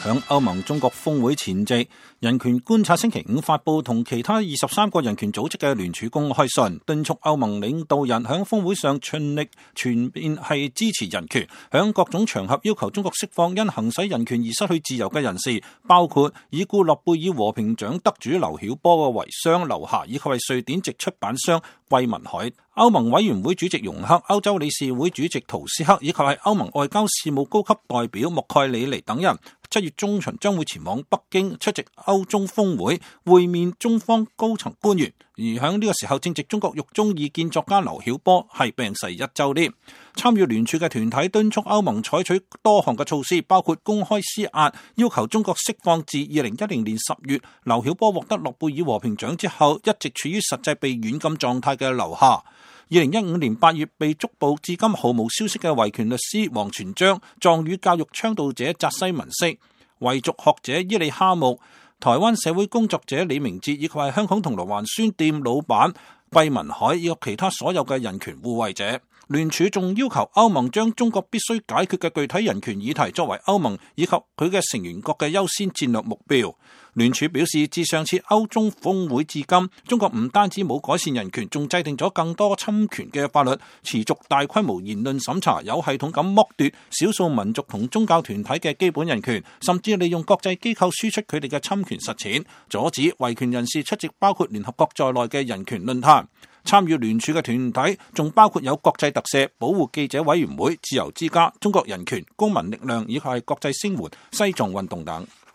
響歐盟中國峰會前夕，人權觀察星期五發佈同其他23個人權組織嘅聯署公開信，敦促歐盟領導人響峰會上盡力全面係支持人權，響各種場合要求中國釋放因行使人權而失去自由嘅人士，包括已故諾貝爾和平獎得主劉曉波嘅遺孀劉霞，以及係瑞典籍出版商桂民海。歐盟委員會主席容克、歐洲理事會主席圖斯克以及係歐盟外交事務高級代表莫蓋里尼等人7月中旬將會前往北京出席歐中峰會，會面中方高層官員。而喺呢個時候正值中國獄中異見作家劉曉波係病逝1週年。參與聯署嘅團體敦促歐盟採取多項嘅措施，包括公開施壓，要求中國釋放自2010年10月劉曉波獲得諾貝爾和平獎之後一直處於實際被軟禁狀態嘅劉霞。2015年8月被捉捕至今毫無消息嘅維權律師王全璋、藏語教育倡導者扎西文色、維族學者伊利哈木、台灣社會工作者李明哲，以及係香港銅鑼灣書店老闆桂民海，以及其他所有嘅人權護衛者。聯署仲要求歐盟將中國必須解決嘅具體人權議題作為歐盟以及佢嘅成員國嘅優先戰略目標。聯署表示，自上次歐中峰會至今，中國唔單止冇改善人權，仲制定咗更多侵權嘅法律，持續大規模言論審查，有系統咁剝奪少數民族同宗教團體嘅基本人權，甚至利用國際機構輸出佢哋嘅侵權實踐，阻止維權人士出席包括聯合國在內嘅人權論壇。參與聯署嘅團體仲包括有國際特赦、保護記者委員會、自由之家、中國人權、公民力量以及係國際聲援、西藏運動等。